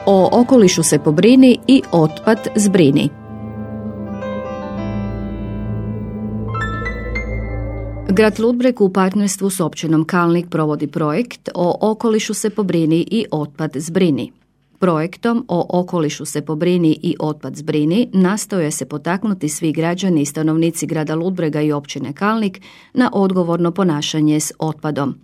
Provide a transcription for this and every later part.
O okolišu se pobrini i otpad zbrini. Grad Ludbreg u partnerstvu s općinom Kalnik provodi projekt O okolišu se pobrini i otpad zbrini. Projektom O okolišu se pobrini i otpad zbrini nastoje se potaknuti svi građani i stanovnici grada Ludbrega i općine Kalnik na odgovorno ponašanje s otpadom.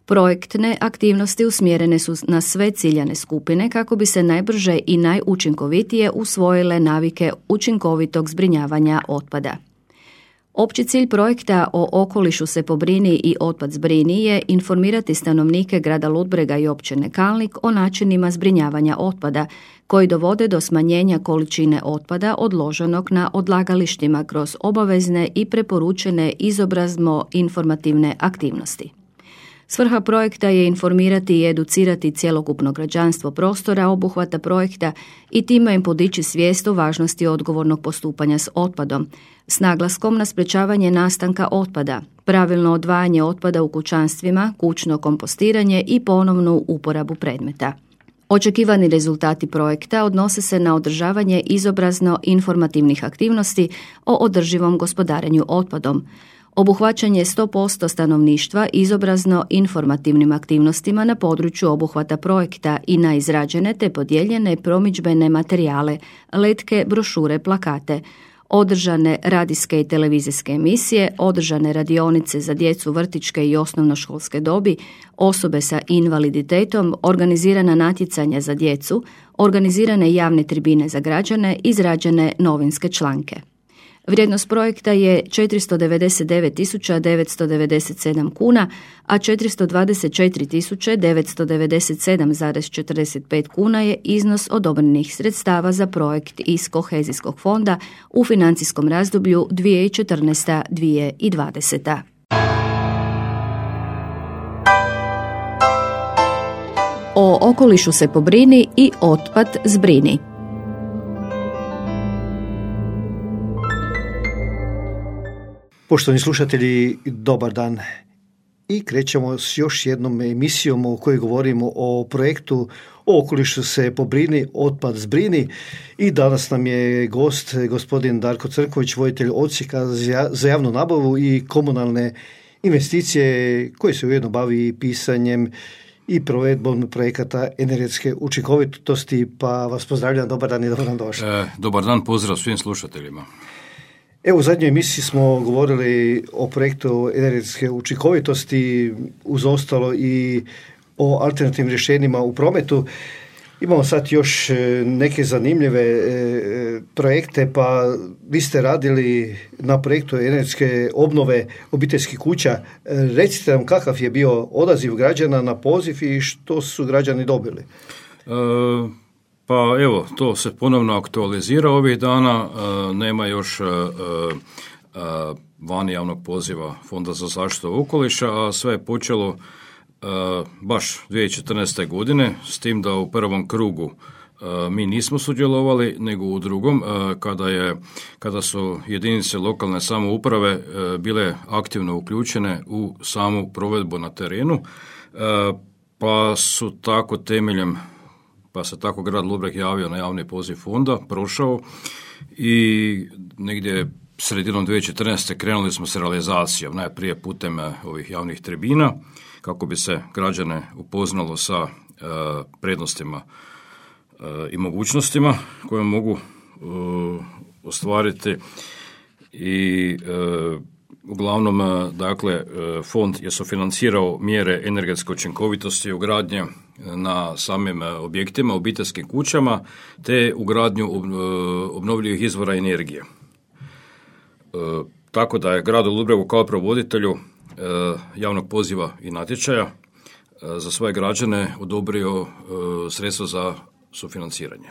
Projektne aktivnosti usmjerene su na sve ciljane skupine kako bi se najbrže i najučinkovitije usvojile navike učinkovitog zbrinjavanja otpada. Opći cilj projekta O okolišu se pobrini i otpad zbrini je informirati stanovnike grada Ludbrega i općine Kalnik o načinima zbrinjavanja otpada koji dovode do smanjenja količine otpada odloženog na odlagalištima kroz obavezne i preporučene izobrazno-informativne aktivnosti. Svrha projekta je informirati i educirati cjelokupno građanstvo prostora obuhvata projekta i time im podići svijest o važnosti odgovornog postupanja s otpadom, s naglaskom na sprečavanje nastanka otpada, pravilno odvajanje otpada u kućanstvima, kućno kompostiranje i ponovnu uporabu predmeta. Očekivani rezultati projekta odnose se na održavanje izobrazno-informativnih aktivnosti o održivom gospodarenju otpadom, obuhvaćanje 100% stanovništva izobrazno-informativnim aktivnostima na području obuhvata projekta i na izrađene te podijeljene promidžbene materijale, letke, brošure, plakate, održane radijske i televizijske emisije, održane radionice za djecu vrtićke i osnovnoškolske dobi, osobe sa invaliditetom, organizirana natjecanja za djecu, organizirane javne tribine za građane, izrađene novinske članke. Vrijednost projekta je 499.997 kuna, a 424.997,45 kuna je iznos odobrenih sredstava za projekt iz Kohezijskog fonda u financijskom razdoblju 2014-2020. O okolišu se pobrini i otpad zbrini. Poštovani slušatelji, dobar dan. I krećemo s još jednom emisijom u kojoj govorimo o projektu O okolišu se pobrini, otpad zbrini. I danas nam je gost gospodin Darko Crkvović, voditelj odsjeka za javnu nabavu i komunalne investicije, koji se ujedno bavi pisanjem i provedbom projekata energetske učinkovitosti. Pa vas pozdravljam, dobar dan i dobro nam došli. Dobar dan, pozdrav svim slušateljima. Evo, u zadnjoj emisiji smo govorili o projektu energetske učinkovitosti, uz ostalo i o alternativnim rješenjima u prometu. Imamo sad još neke zanimljive projekte, pa vi ste radili na projektu energetske obnove obiteljskih kuća. Recite nam kakav je bio odaziv građana na poziv i što su građani dobili? Pa evo, to se ponovno aktualizira ovih dana, nema još vani javnog poziva Fonda za zaštitu okoliša, a sve je počelo baš 2014. godine, s tim da u prvom krugu mi nismo sudjelovali, nego u drugom, kada su jedinice lokalne samouprave bile aktivno uključene u samu provedbu na terenu, pa se tako grad Ludbreg javio na javni poziv fonda, prošao i negdje sredinom 2014. krenuli smo s realizacijom, najprije putem ovih javnih tribina, kako bi se građane upoznalo sa prednostima i mogućnostima koje mogu ostvariti i uglavnom, dakle, fond je sufinancirao mjere energetske učinkovitosti i ugradnje na samim objektima, obiteljskim kućama, te ugradnju obnovljivih izvora energije. Tako da je gradu Ludbregu kao provoditelju javnog poziva i natječaja za svoje građane odobrio sredstva za sufinanciranje.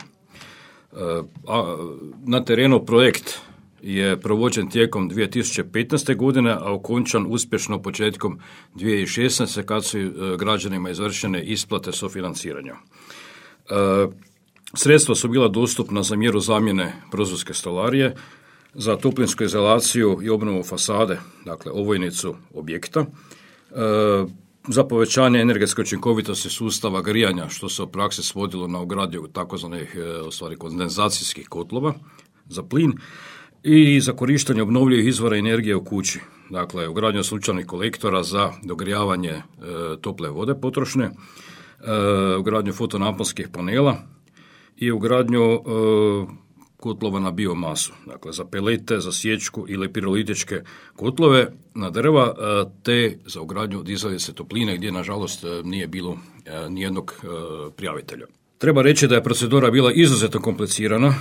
Na terenu projekt je provođen tijekom 2015. godine, a okončan uspješno početkom 2016. kad su građanima izvršene isplate sufinanciranja. Sredstva su bila dostupna za mjeru zamjene prozorske stolarije, za toplinsku izolaciju i obnovu fasade, dakle ovojnicu objekta, za povećanje energetske učinkovitosti sustava grijanja, što se u praksi svodilo na ugradnju takozvanih kondenzacijskih kotlova za plin i za korištenje obnovljivih izvora energije u kući. Dakle, ugradnju sunčanih kolektora za dogrijavanje tople vode potrošne, ugradnju fotonaponskih panela i ugradnju kotlova na biomasu, dakle za pelete, za sječku ili pirolitičke kotlove na drva, te za ugradnju dizalice topline gdje nažalost nije bilo nijednog prijavitelja. Treba reći da je procedura bila izuzetno komplicirana,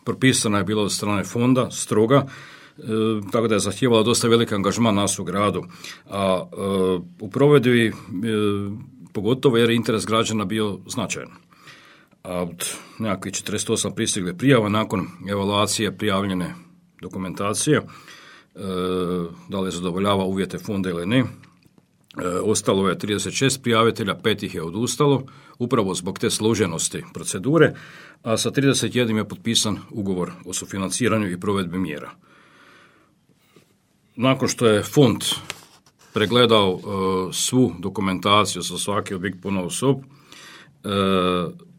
propisana je bila od strane fonda, stroga, tako da je zahtijevala dosta veliki angažman nas u gradu. A u provedbi, pogotovo jer je interes građana bio značajan. A od nekakvih 48 pristigle prijava nakon evaluacije prijavljene dokumentacije, da li zadovoljava uvjete fonda ili ne, ostalo je 36 prijavitelja, 5 ih je odustalo, upravo zbog te složenosti procedure, a sa 31 je potpisan ugovor o sufinanciranju i provedbi mjera. Nakon što je fond pregledao svu dokumentaciju za svaki objekt ponaosob,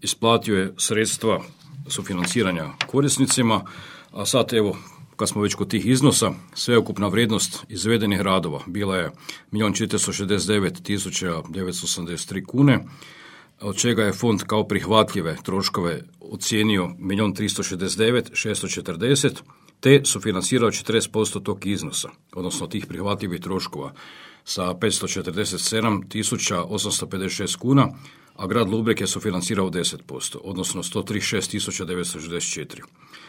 isplatio je sredstva sufinanciranja korisnicima, a sad evo, kad smo već kod tih iznosa, sveukupna vrijednost izvedenih radova bila je 1.469.983 kune, od čega je fond kao prihvatljive troškove ocijenio 1.369.640, te sufinancirao 40% tog iznosa, odnosno tih prihvatljivih troškova sa 547.856 kuna, a grad Ludbreg je sufinancirao 10%, odnosno 136.964.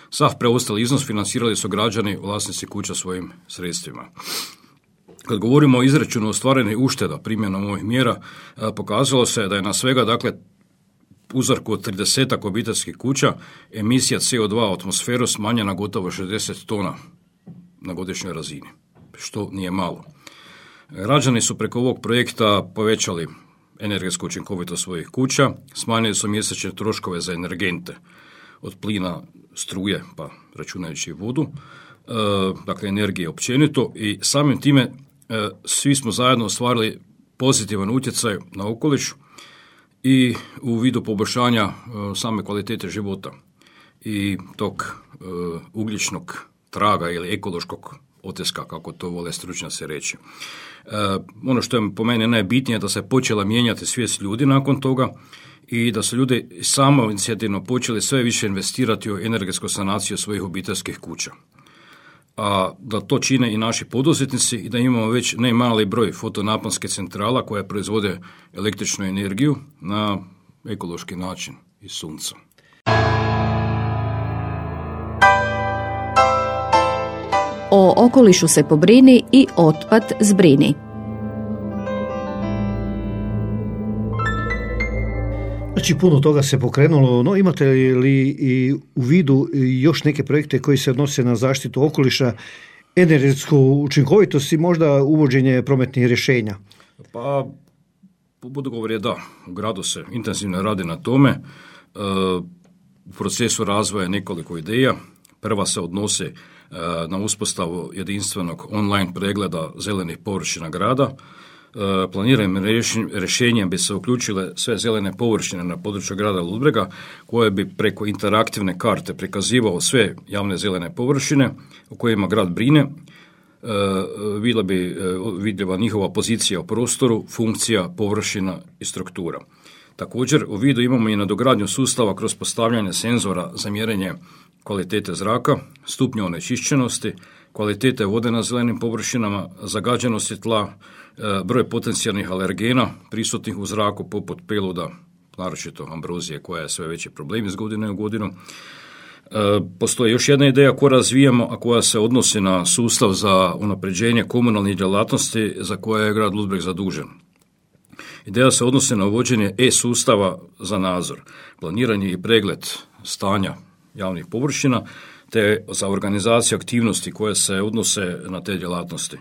Sav preostali iznos financirali su građani, vlasnici kuća svojim sredstvima. Kad govorimo o izračunu ostvarenih ušteda primjenom ovih mjera, pokazalo se da je na svega, dakle, uzorku od 30 obiteljskih kuća emisija CO2 u atmosferu smanjena gotovo 60 tona na godišnjoj razini, što nije malo. Građani su preko ovog projekta povećali energetsku učinkovitost svojih kuća, smanjili su mjesečne troškove za energente, od plina, struje, pa računajući vodu, dakle energije općenito, i samim time svi smo zajedno ostvarili pozitivan utjecaj na okoliš i u vidu poboljšanja same kvalitete života i tog ugljičnog traga ili ekološkog otiska, kako to vole stručnjaci reći. Ono što je po meni najbitnije je da se počela mijenjati svijest ljudi nakon toga i da su ljudi samo inicijativno počeli sve više investirati u energetsku sanaciju svojih obiteljskih kuća. A da to čine i naši poduzetnici i da imamo već ne mali broj fotonaponskih centrala koje proizvode električnu energiju na ekološki način iz sunca. O okolišu se pobrini i otpad zbrini. Znači, puno toga se pokrenulo, no imate li i u vidu još neke projekte koji se odnose na zaštitu okoliša, energetsku učinkovitost i možda uvođenje prometnih rješenja? Pa, odgovor je da. U gradu se intenzivno radi na tome. U procesu razvoja nekoliko ideja. Prva se odnosi na uspostavu jedinstvenog online pregleda zelenih površina grada. Planiranim rješenjem bi se uključile sve zelene površine na području grada Ludbrega, koje bi preko interaktivne karte prikazivao sve javne zelene površine o kojima grad brine. Bila bi vidljiva njihova pozicija u prostoru, funkcija, površina i struktura. Također, u vidu imamo i nadogradnju sustava kroz postavljanje senzora za mjerenje kvalitete zraka, stupnja onečišćenosti, kvalitete vode na zelenim površinama, zagađenosti tla, broj potencijalnih alergena prisutnih u zraku poput peluda, naročito ambrozije koja je sve veći problem iz godine u godinu. Postoji još jedna ideja koju razvijamo, a koja se odnosi na sustav za unapređenje komunalnih djelatnosti za koje je grad Ludbreg zadužen. Ideja se odnosi na uvođenje e-sustava za nadzor, planiranje i pregled stanja javnih površina, te za organizaciju aktivnosti koje se odnose na te djelatnosti.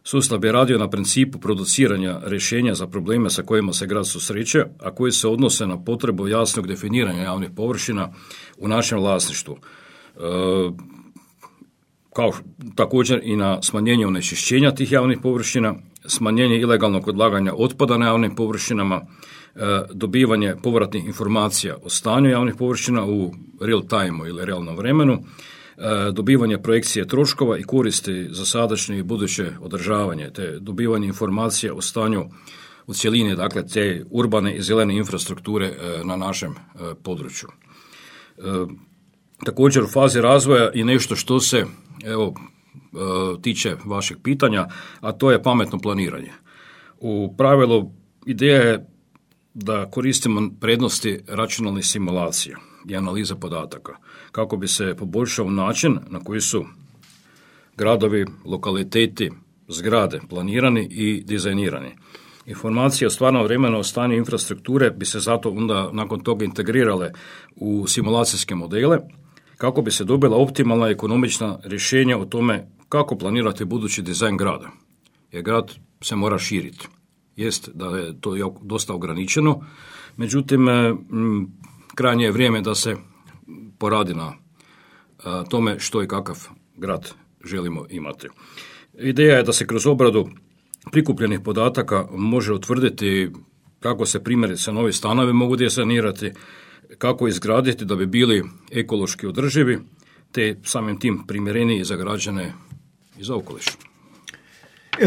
Sustav bi radio na principu produciranja rješenja za probleme sa kojima se grad susreće, a koji se odnose na potrebu jasnog definiranja javnih površina u našem vlasništvu, kao također i na smanjenje onečišćenja tih javnih površina smanjenje ilegalnog odlaganja otpada na javnim površinama, dobivanje povratnih informacija o stanju javnih površina u real time ili realnom vremenu, dobivanje projekcije troškova i koristi za sadašnje i buduće održavanje, te dobivanje informacija o stanju u cjelini, dakle te urbane i zelene infrastrukture na našem području. Također u fazi razvoja i nešto što se tiče vašeg pitanja, a to je pametno planiranje. U pravilu ideja je da koristimo prednosti računalnih simulacija i analiza podataka kako bi se poboljšao način na koji su gradovi, lokaliteti, zgrade planirani i dizajnirani. Informacije o stvarnom vremenu o stanju infrastrukture bi se zato onda nakon toga integrirale u simulacijske modele kako bi se dobila optimalna i ekonomična rješenja o tome kako planirati budući dizajn grada. Jer grad se mora širiti. Jest da je to dosta ograničeno, međutim krajnje je vrijeme da se poradi na tome što i kakav grad želimo imati. Ideja je da se kroz obradu prikupljenih podataka može utvrditi kako se primjerice novi stanovi mogu dizajnirati, kako izgraditi da bi bili ekološki održivi, te samim tim primjereniji za građane i za okoliš.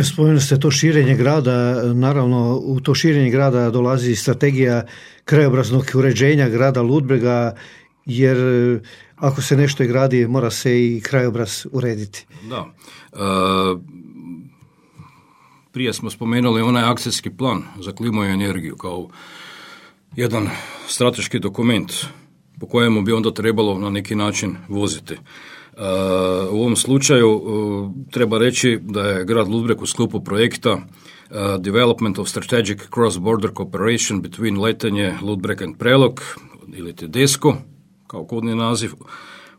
Spomenuli ste to širenje grada, naravno u to širenje grada dolazi strategija krajobraznog uređenja grada Ludbrega, jer ako se nešto i gradi, mora se i krajobraz urediti. Da. Prije smo spomenuli onaj akcijski plan za klimu i energiju kao jedan strateški dokument po kojemu bi onda trebalo na neki način voziti. U ovom slučaju treba reći da je grad Ludbreg u sklopu projekta Development of Strategic Cross-Border Cooperation between Letenje, Ludbreg and Prelog, ili DESCO, kao kodni naziv,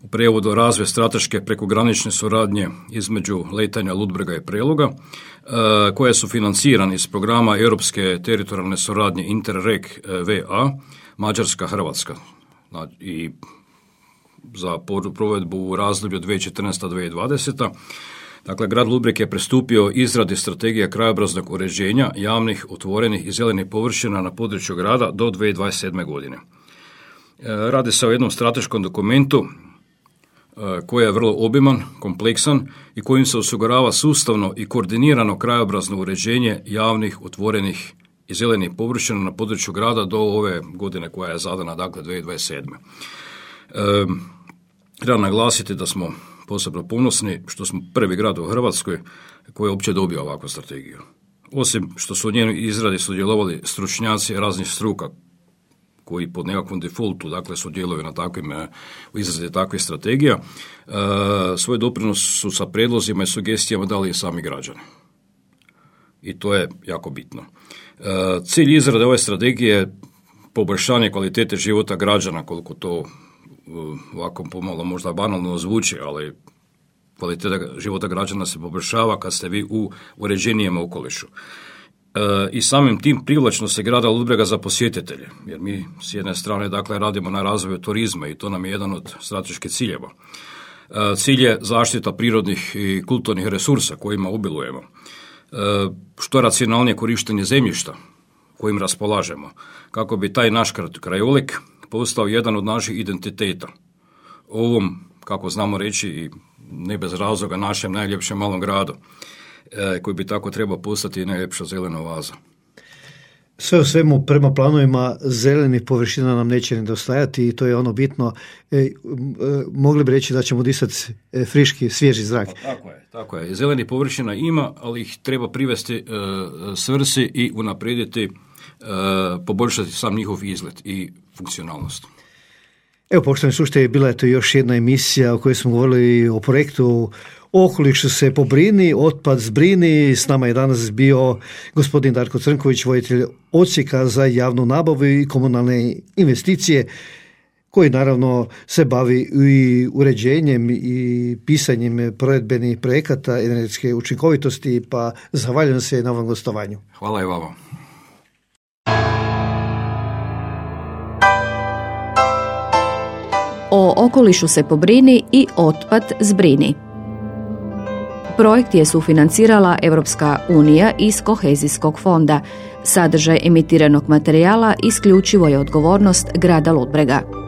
u prijevodu razvoj strateške prekogranične suradnje između Letenja, Ludbrega i Preloga, koje su financirani iz programa Europske teritorijalne suradnje Interreg VA, Mađarska, Hrvatska. I za provedbu u razdoblju 2014-2020. Dakle, grad Ludbreg je pristupio izradi strategije krajobraznog uređenja javnih, otvorenih i zelenih površina na području grada do 2027. godine. Radi se o jednom strateškom dokumentu koji je vrlo obiman, kompleksan i kojim se osigurava sustavno i koordinirano krajobrazno uređenje javnih, otvorenih i zelenih površina na području grada do ove godine koja je zadana, dakle 2027. Treba naglasiti da smo posebno ponosni što smo prvi grad u Hrvatskoj koji je uopće dobio ovakvu strategiju. Osim što su u njenoj izradi sudjelovali stručnjaci raznih struka koji pod nekakvom defaultu, dakle, sudjeluju na u izradi takvih strategija, svoj doprinos su sa prijedlozima i sugestijama dali i sami građani. I to je jako bitno. Cilj izrade ove strategije je poboljšanje kvalitete života građana, koliko to ovako pomalo možda banalno zvuči, ali kvaliteta života građana se poboljšava kad ste vi u uređenijem okolišu. I samim tim privlačno se grada Ludbrega za posjetitelje, jer mi s jedne strane dakle radimo na razvoju turizma i to nam je jedan od strateških ciljeva. Cilj je zaštita prirodnih i kulturnih resursa kojima obilujemo, što racionalnije korištenje zemljišta kojim raspolažemo, kako bi taj naš krajolik postao jedan od naših identiteta. Ovom, kako znamo reći, i ne bez razloga, našem najljepšem malom gradu, koji bi tako trebao postati i najljepša zelena oaza. Sve u svemu, prema planovima zelenih površina nam neće nedostajati i to je ono bitno. Mogli bi reći da ćemo disati friški, svježi zrak. Tako je. Zelenih površina ima, ali ih treba privesti svrsi i unaprijediti, poboljšati sam njihov izgled i funkcionalnost. Evo, poštovani slušatelji, bila je to još jedna emisija u kojoj smo govorili o projektu Okolišu se pobrini, otpad zbrini. S nama je danas bio gospodin Darko Crnković, voditelj odsjeka za javnu nabavu i komunalne investicije, koji naravno se bavi i uređenjem i pisanjem provedbenih projekata energetske učinkovitosti, pa zahvaljujem se na ovom gostovanju. Hvala i vama. O okolišu se pobrini i otpad zbrini. Projekt je sufinancirala Europska unija iz kohezijskog fonda. Sadržaj emitiranog materijala isključivo je odgovornost grada Ludbrega.